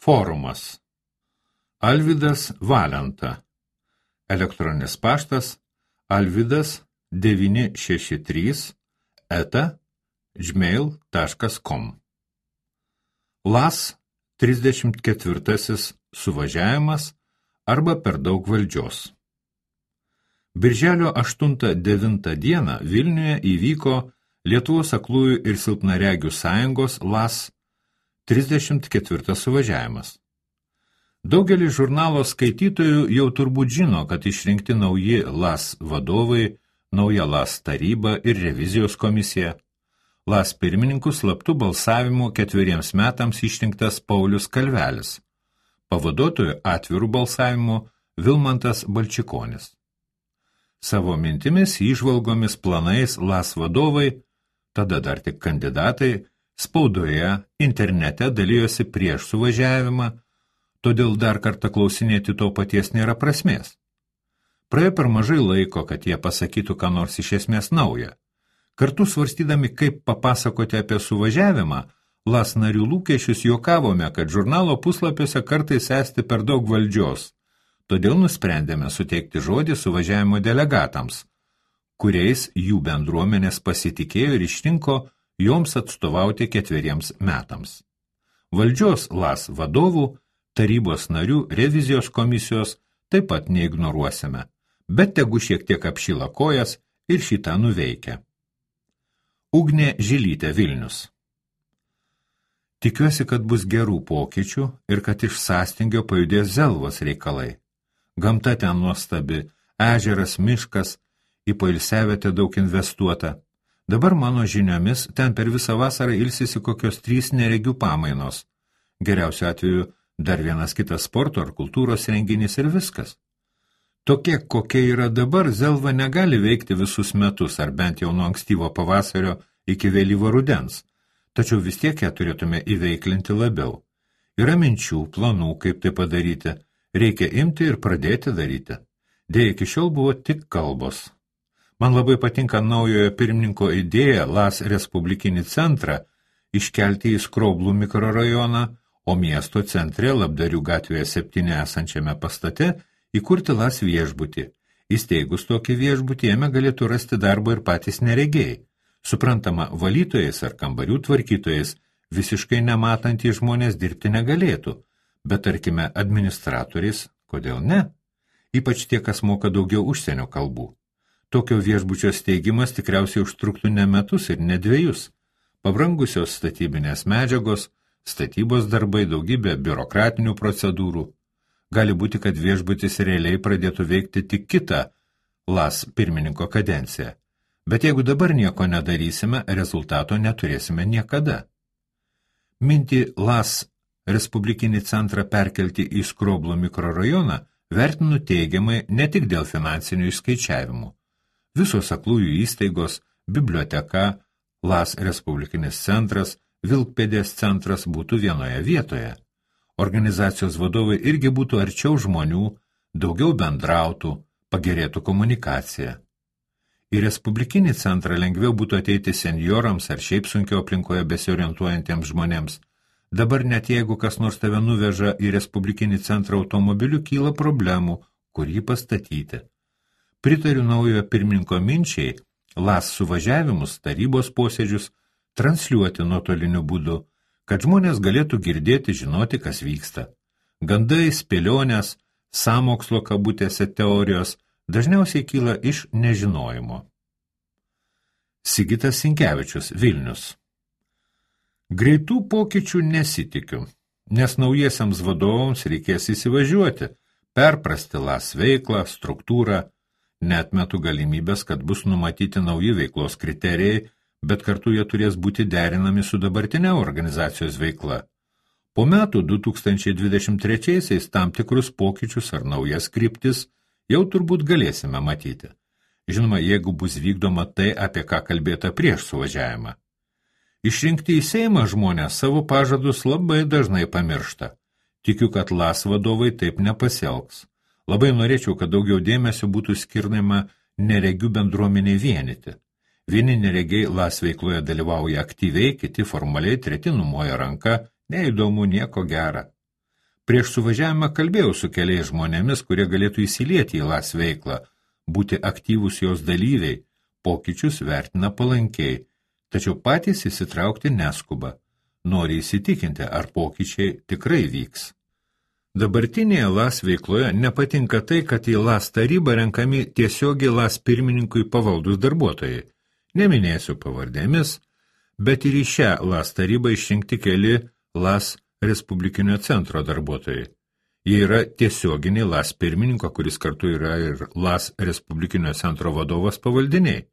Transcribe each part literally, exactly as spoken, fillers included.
Forumas. Alvydas Valenta. Elektroninis paštas alvydas devyni šeši trys eta gmail taškas com. Las trisdešimt ketvirtasis suvažiavimas arba per daug valdžios. Birželio aštuntą devintą dieną Vilniuje įvyko Lietuvos aklųjų ir silpnaregių sąjungos Las trisdešimt ketvirtas suvažiavimas. Daugelis žurnalo skaitytojų jau turbūt žino, kad išrinkti nauji Las vadovai, nauja Las taryba ir revizijos komisija. Las pirmininkų slaptų balsavimų ketveriems metams išrinktas Paulius Kalvelis, pavaduotojų atvirų balsavimų Vilmantas Balčikonis. Savo mintimis, įžvalgomis, planais Las vadovai, tada dar tik kandidatai, spaudoje, internete dalyjosi prieš suvažiavimą, todėl dar kartą klausinėti to paties nėra prasmės. Praėjo per mažai laiko, kad jie pasakytų ką nors iš esmės naują. Kartu svarstydami, kaip papasakoti apie suvažiavimą, Las narių lūkesčius juokavome, kad žurnalo puslapiuose kartais esti per daug valdžios, todėl nusprendėme suteikti žodį suvažiavimo delegatams, kuriais jų bendruomenės pasitikėjo ir išrinko joms atstovauti ketveriems metams. Valdžios Las vadovų, tarybos narių, revizijos komisijos taip pat neignoruosime, bet tegu šiek tiek apšyla kojas ir šitą nuveikia. Ugnė Žilytė, Vilnius. Tikiuosi, kad bus gerų pokyčių ir kad iš sąstingio pajudės Zelvos reikalai. Gamta ten nuostabi, ežeras, miškas, į poilsiavietę daug investuota. Dabar mano žiniomis ten per visą vasarą ilsisi kokios trys neregių pamainos. Geriausiu atveju dar vienas kitas sporto ar kultūros renginys ir viskas. Tokie, kokie yra dabar, Zelva negali veikti visus metus, ar bent jau nuo ankstyvo pavasario iki vėlyvo rudens, tačiau vis tiek ją turėtume įveiklinti labiau. Yra minčių, planų, kaip tai padaryti, reikia imti ir pradėti daryti. Deja, iki šiol buvo tik kalbos. Man labai patinka naujojo pirmininko idėja Las Respublikinį centrą iškelti į Skroblų mikrorajoną, o miesto centre Labdarių gatvėje septyni esančiame pastate įkurti Las viešbutį. Įsteigus tokį viešbutį, jame galėtų rasti darbo ir patys neregiai. Suprantama, valytojais ar kambarių tvarkytojais visiškai nematantys žmonės dirbti negalėtų, bet tarkime administratoriais, kodėl ne? Ypač tie, kas moka daugiau užsienio kalbų. Tokio viešbučio steigimas tikriausiai užtruktų ne metus ir ne dviejus. Pabrangusios statybinės medžiagos, statybos darbai, daugybė biurokratinių procedūrų. Gali būti, kad viešbutis realiai pradėtų veikti tik kitą Las pirmininko kadenciją. Bet jeigu dabar nieko nedarysime, rezultato neturėsime niekada. Mintį Las Respublikinį centrą perkelti į Skroblų mikrorajoną vertinu teigiamai ne tik dėl finansinių išskaičiavimų. Visos aklųjų įstaigos, biblioteka, Las Respublikinis centras, Vilkpėdės centras būtų vienoje vietoje. Organizacijos vadovai irgi būtų arčiau žmonių, daugiau bendrautų, pagerėtų komunikacija. Į Respublikinį centrą lengviau būtų ateiti senjorams ar šiaip sunkiau aplinkoje besiorientuojantiems žmonėms. Dabar net jeigu kas nors tave nuveža į Respublikinį centrą automobiliu, kyla problemų, kur jį pastatyti. Pritariu naujojo pirmininko minčiai, Las suvažiavimus, tarybos posėdžius transliuoti nuotoliniu būdu, kad žmonės galėtų girdėti, žinoti, kas vyksta. Gandai, spėlionės, sąmokslo kabutėse teorijos dažniausiai kyla iš nežinojimo. Sigitas Sinkevičius, Vilnius. Greitų pokyčių nesitikiu, nes naujiesiams vadovams reikės įsivažiuoti, perprasti Las veiklą, struktūrą. Neatmetu galimybės, kad bus numatyti nauji veiklos kriterijai, bet kartu jie turės būti derinami su dabartinė organizacijos veikla. Po metų du tūkstančiai dvidešimt trečiaisiais tam tikrus pokyčius ar naujas kryptis jau turbūt galėsime matyti. Žinoma, jeigu bus vykdoma tai, apie ką kalbėta prieš suvažiavimą. Išrinkti į Seimą žmonės savo pažadus labai dažnai pamiršta. Tikiu, kad Las vadovai taip nepasielgs. Labai norėčiau, kad daugiau dėmesio būtų skirnama neregių bendruomeniai vienyti. Vieni neregiai Las veikloje dalyvauja aktyviai, kiti formaliai, treti numoja ranka, neįdomu, nieko gera. Prieš suvažiavimą kalbėjau su keliais žmonėmis, kurie galėtų įsilieti į LAS veiklą, būti aktyvūs jos dalyviai, pokyčius vertina palankiai, tačiau patys įsitraukti neskuba, nori įsitikinti, ar pokyčiai tikrai vyks. Dabartinėje LAS veikloje nepatinka tai, kad į LAS tarybą renkami tiesiogiai LAS pirmininkui pavaldus darbuotojai. Neminėsiu pavardėmis, bet ir į šią LAS tarybą išrinkti keli LAS Respublikinio centro darbuotojai. Jie yra tiesioginiai LAS pirmininko, kuris kartu yra ir LAS Respublikinio centro vadovas pavaldiniai.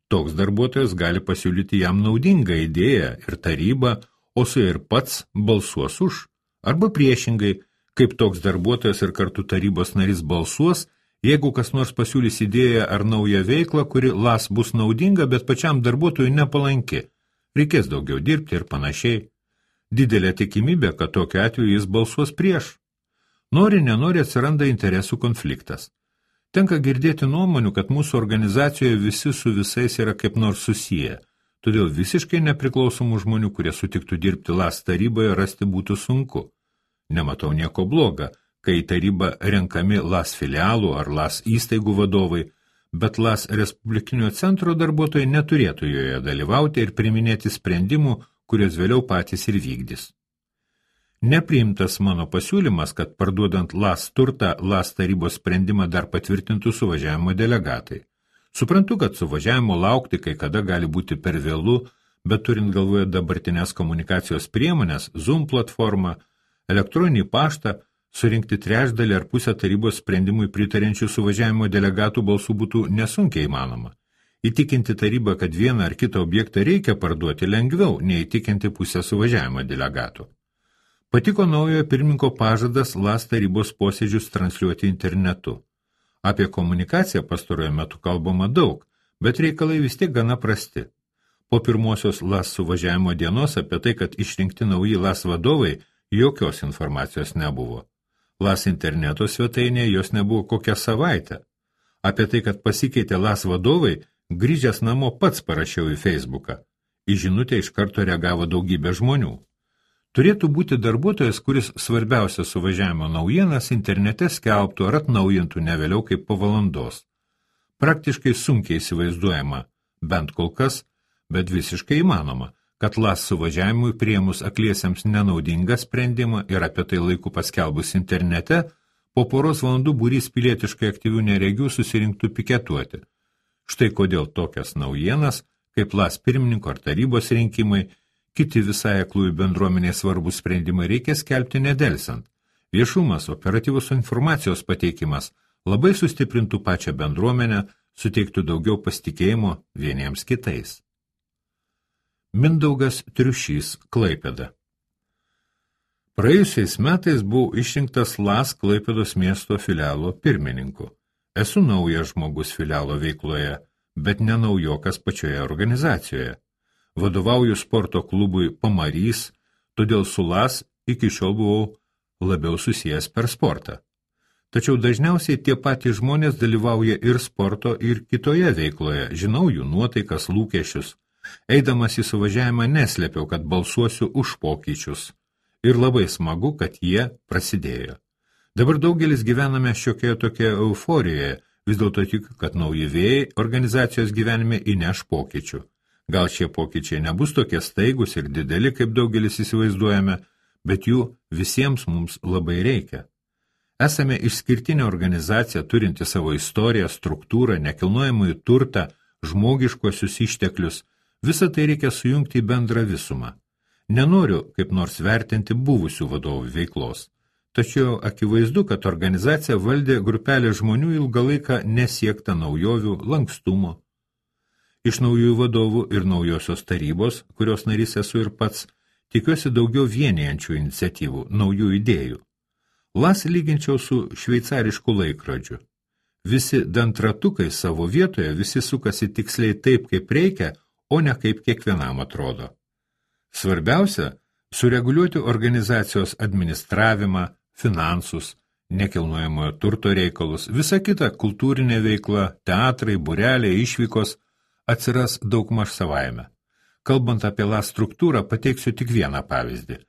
Toks darbuotojas gali pasiūlyti jam naudingą idėją ir tarybą, o su ir pats balsuos už. Arba priešingai, kaip toks darbuotojas ir kartu tarybos narys balsuos, jeigu kas nors pasiūlys idėją ar naują veiklą, kuri LAS bus naudinga, bet pačiam darbuotojui nepalanki. Reikės daugiau dirbti ir panašiai. Didelė tikimybė, kad tokiu atveju jis balsuos prieš. Nori, nenori atsiranda interesų konfliktas. Tenka girdėti nuomonių, kad mūsų organizacijoje visi su visais yra kaip nors susiję, todėl visiškai nepriklausomų žmonių, kurie sutiktų dirbti LAS taryboje, rasti būtų sunku. Nematau nieko bloga, kai į tarybą renkami LAS filialų ar LAS įstaigų vadovai, bet LAS Respublikinio centro darbuotojai neturėtų joje dalyvauti ir priminėti sprendimų, kurios vėliau patys ir vykdys. Nepriimtas mano pasiūlymas, kad parduodant LAS turtą, LAS tarybos sprendimą dar patvirtintų suvažiavimo delegatai. Suprantu, kad suvažiavimo laukti kai kada gali būti per vėlu, bet turint galvoje dabartinės komunikacijos priemonės, Zoom platformą, elektroninį paštą, surinkti trečdalį ar pusę tarybos sprendimui pritarenčių suvažiavimo delegatų balsų būtų nesunkiai įmanoma. Įtikinti tarybą, kad vieną ar kitą objektą reikia parduoti lengviau, nei įtikinti pusę suvažiavimo delegatų. Patiko naujojo pirmininko pažadas LAS tarybos posėdžius transliuoti internetu. Apie komunikaciją pastarojo metu kalbama daug, bet reikalai vis tiek gana prasti. Po pirmosios LAS suvažiavimo dienos apie tai, kad išrinkti nauji LAS vadovai, jokios informacijos nebuvo. LAS interneto svetainėje jos nebuvo kokią savaitę. Apie tai, kad pasikeitė LAS vadovai, grįžęs namo pats parašiau į Facebooką. Į žinutę iš karto reagavo daugybė žmonių. Turėtų būti darbuotojas, kuris svarbiausia suvažiavimo naujienas internete skelbtų ar atnaujintų ne vėliau kaip po valandos. Praktiškai sunkiai įsivaizduojama, bent kol kas, bet visiškai įmanoma, kad LAS suvažiavimui priėmus akliesiems nenaudingą sprendimą ir apie tai laiku paskelbus internete, po poros valandų būrys pilietiškai aktyvių neregių susirinktų piketuoti. Štai kodėl tokias naujienas, kaip LAS pirmininko ar tarybos rinkimai, kiti visai aklųjų bendruomenės svarbus sprendimai reikia skelbti nedelsant. Viešumas, operatyvus informacijos pateikimas labai sustiprintų pačią bendruomenę, suteiktų daugiau pasitikėjimo vieniems kitais. Mindaugas Triušys, Klaipėda. Praėjusiais metais buvau išrinktas LAS Klaipėdos miesto filialo pirmininku. Esu naujas žmogus filialo veikloje, bet ne naujokas pačioje organizacijoje. Vadovauju sporto klubui Pamarys, todėl su LAS iki šiol buvau labiau susijęs per sportą. Tačiau dažniausiai tie patys žmonės dalyvauja ir sporto, ir kitoje veikloje, žinau jų nuotaikas, lūkesčius. Eidamas į suvažiavimą neslėpiau, kad balsuosiu už pokyčius. Ir labai smagu, kad jie prasidėjo. Dabar daugelis gyvename šiokioje tokioje euforijoje, vis dėlto tikiu, kad nauji vėjai organizacijos gyvenime įneš pokyčių. Gal šie pokyčiai nebus tokie staigus ir dideli, kaip daugelis įsivaizduojame, bet jų visiems mums labai reikia. Esame išskirtinė organizacija, turinti savo istoriją, struktūrą, nekilnojamąjį turtą, žmogiškuosius išteklius. Visą tai reikia sujungti į bendrą visumą. Nenoriu kaip nors vertinti buvusių vadovų veiklos. Tačiau akivaizdu, kad organizacija valdė grupelė žmonių ilgą laiką nesiekta naujovių, lankstumo. Iš naujųjų vadovų ir naujosios tarybos, kurios narys esu ir pats, tikiuosi daugiau vienijančių iniciatyvų, naujų idėjų. LAS lyginčiau su šveicarišku laikrodžiu. Visi dantratukai savo vietoje, visi sukasi tiksliai taip, kaip reikia, o ne kaip kiekvienam atrodo. Svarbiausia – sureguliuoti organizacijos administravimą, finansus, nekilnojamojo turto reikalus, visa kita kultūrinė veikla, teatrai, būreliai, išvykos atsiras daugmaž savaime. Kalbant apie LAS struktūrą, pateiksiu tik vieną pavyzdį.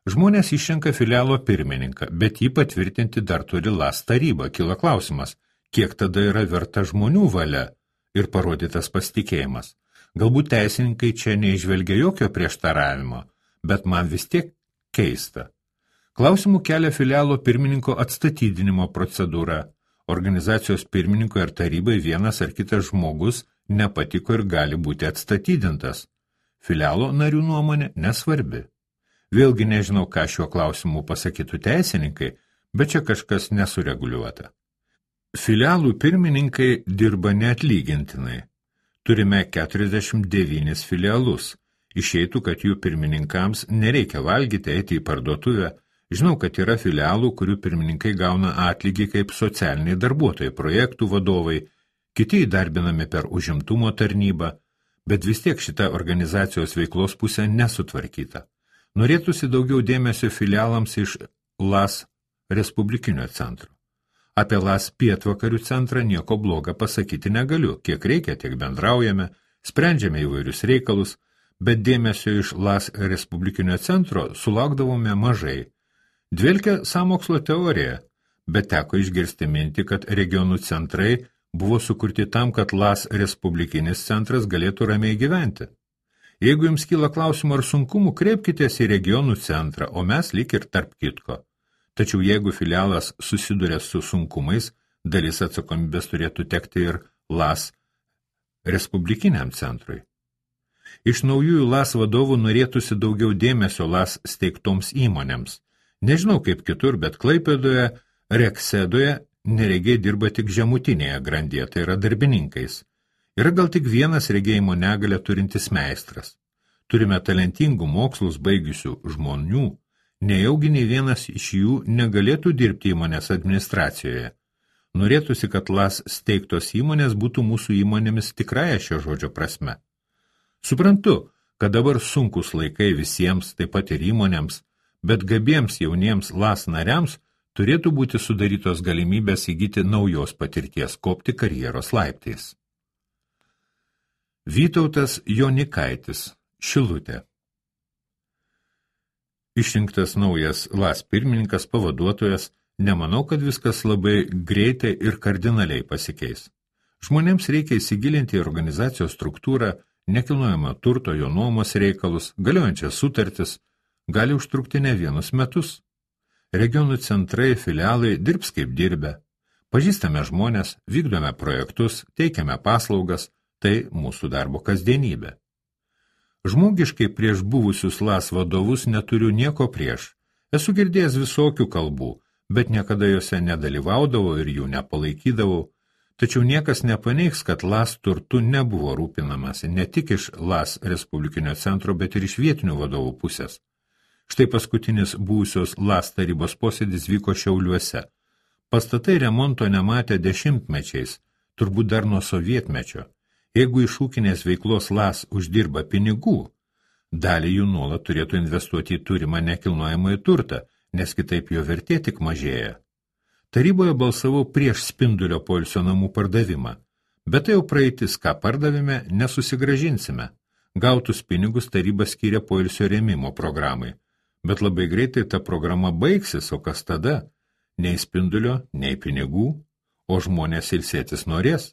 Žmonės išrenka filialo pirmininką, bet jį patvirtinti dar turi LAS taryba. Kilo klausimas, kiek tada yra verta žmonių valia ir parodytas pasitikėjimas. Galbūt teisininkai čia neižvelgia jokio prieštaravimo, bet man vis tiek keista. Klausimų kelia filialo pirmininko atstatydinimo procedūra. Organizacijos pirmininko ir tarybai vienas ar kitas žmogus nepatiko ir gali būti atstatydintas. Filialo narių nuomonė nesvarbi. Vėlgi nežinau, ką šiuo klausimu pasakytų teisininkai, bet čia kažkas nesureguliuota. Filialų pirmininkai dirba neatlygintinai. Turime keturiasdešimt devynis filialus. Išeitų, kad jų pirmininkams nereikia valgyti, eiti į parduotuvę. Žinau, kad yra filialų, kurių pirmininkai gauna atlygį kaip socialiniai darbuotojai, projektų vadovai, kiti įdarbinami per užimtumo tarnybą, bet vis tiek šita organizacijos veiklos pusė nesutvarkyta. Norėtųsi daugiau dėmesio filialams iš LAS Respublikinio centro. Apie LAS pietvakarių centrą nieko bloga pasakyti negaliu. Kiek reikia, tiek bendraujame, sprendžiame įvairius reikalus, bet dėmesio iš LAS Respublikinio centro sulaukdavome mažai. Dvelkia sąmokslo teorija, bet teko išgirsti mintį, kad regionų centrai buvo sukurti tam, kad LAS Respublikinis centras galėtų ramiai gyventi. Jeigu jums kyla klausimų ar sunkumų, kreipkitės į regionų centrą, o mes lyg ir tarp kitko. Tačiau jeigu filialas susiduria su sunkumais, dalis atsakomybės turėtų tekti ir LAS Respublikiniam centrui. Iš naujųjų LAS vadovų norėtųsi daugiau dėmesio LAS steigtoms įmonėms. Nežinau kaip kitur, bet Klaipėdoje, Reksedoje neregiai dirba tik žemutinėje grandyje, tai yra darbininkais. Yra gal tik vienas regėjimo negalę turintis meistras. Turime talentingų mokslus baigusių žmonių, nejaugi nei vienas iš jų negalėtų dirbti įmonės administracijoje. Norėtųsi, kad LAS steigtos įmonės būtų mūsų įmonėmis tikrąja šio žodžio prasme. Suprantu, kad dabar sunkus laikai visiems, taip pat ir įmonėms, bet gabiems jauniems LAS nariams turėtų būti sudarytos galimybės įgyti naujos patirties, kopti karjeros laiptais. Vytautas Jonikaitis, Šilutė. Išrinktas naujas LAS pirmininkas, pavaduotojas, nemanau, kad viskas labai greitai ir kardinaliai pasikeis. Žmonėms reikia įsigilinti į organizacijos struktūrą, nekilnojamą turto, jo nuomos reikalus, galiojančias sutartis, gali užtrukti ne vienus metus. Regionų centrai, filialai dirbs kaip dirbę. Pažįstame žmonės, vykdome projektus, teikiame paslaugas, tai mūsų darbo kasdienybė. Žmogiškai prieš buvusius LAS vadovus neturiu nieko prieš. Esu girdėjęs visokių kalbų, bet niekada jose nedalyvaudavau ir jų nepalaikydavau. Tačiau niekas nepaneigs, kad LAS turtu nebuvo rūpinamasi ne tik iš LAS Respublikinio centro, bet ir iš vietinių vadovų pusės. Štai paskutinis buvusios LAS tarybos posėdis vyko Šiauliuose. Pastatai remonto nematė dešimtmečiais, turbūt dar nuo sovietmečio. Jeigu iš ūkinės veiklos LAS uždirba pinigų, dalį jų nuolat turėtų investuoti į turimą nekilnojamąjį turtą, nes kitaip jo vertė tik mažėja. Taryboje balsavau prieš Spindulio poilsio namų pardavimą, bet tai jau praeitis, ką pardavime, nesusigražinsime. Gautus pinigus taryba skyrė poilsio rėmimo programai, bet labai greitai ta programa baigsis, o kas tada? Nei Spindulio, nei pinigų, o žmonės ilsėtis norės.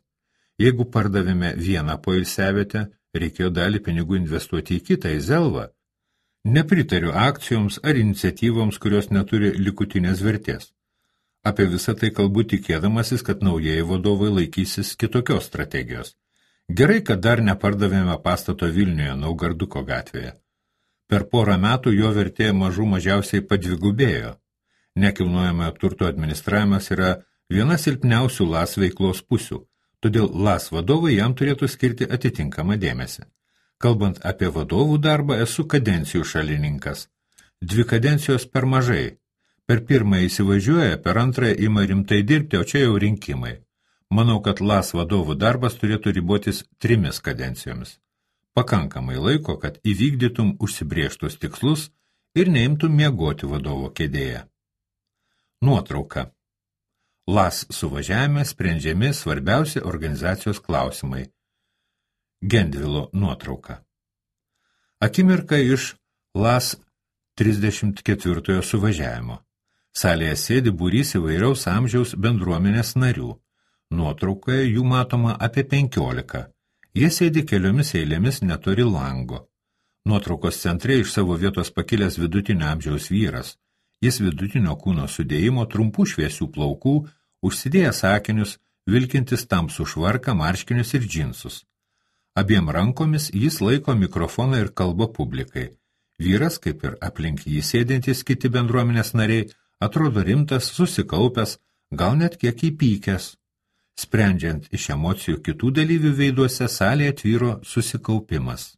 Jeigu pardavėme vieną poilsiavietę, reikėjo dalį pinigų investuoti į kitą, į Zelvą. Nepritariu akcijoms ar iniciatyvoms, kurios neturi likutinės vertės. Apie visą tai kalbu tikėdamasis, kad naujieji vadovai laikysis kitokios strategijos. Gerai, kad dar nepardavėme pastato Vilniuje, Naugarduko gatvėje. Per porą metų jo vertė mažų mažiausiai padvigubėjo. Nekilnojamojo turto administravimas yra viena silpniausių LAS veiklos pusių, todėl LAS vadovai jam turėtų skirti atitinkamą dėmesį. Kalbant apie vadovų darbą, esu kadencijų šalininkas. Dvi kadencijos per mažai. Per pirmąją įsivažiuoja, per antrąją ima rimtai dirbti, o čia jau rinkimai. Manau, kad LAS vadovų darbas turėtų ribotis trimis kadencijomis. Pakankamai laiko, kad įvykdytum užsibrėžtus tikslus ir neimtum miegoti vadovo kėdėje. Nuotrauka. LAS suvažiavime sprendžiami svarbiausi organizacijos klausimai. Gendvilo nuotrauka. Akimirka iš LAS trisdešimt ketvirtojo suvažiavimo. Salėje sėdi būrys įvairiaus amžiaus bendruomenės narių. Nuotraukoje jų matoma apie penkiolika. Jie sėdi keliomis eilėmis netoli lango. Nuotraukos centre iš savo vietos pakilęs vidutinio amžiaus vyras. Jis vidutinio kūno sudėjimo, trumpų šviesių plaukų, užsidėjęs akinius, vilkintis tamsų švarką, marškinius ir džinsus. Abiem rankomis jis laiko mikrofoną ir kalba publikai. Vyras, kaip ir aplink jį sėdintys kiti bendruomenės nariai, atrodo rimtas, susikaupęs, gal net kiek įpykęs. Sprendžiant iš emocijų kitų dalyvių veiduose, salėje tvyro susikaupimas.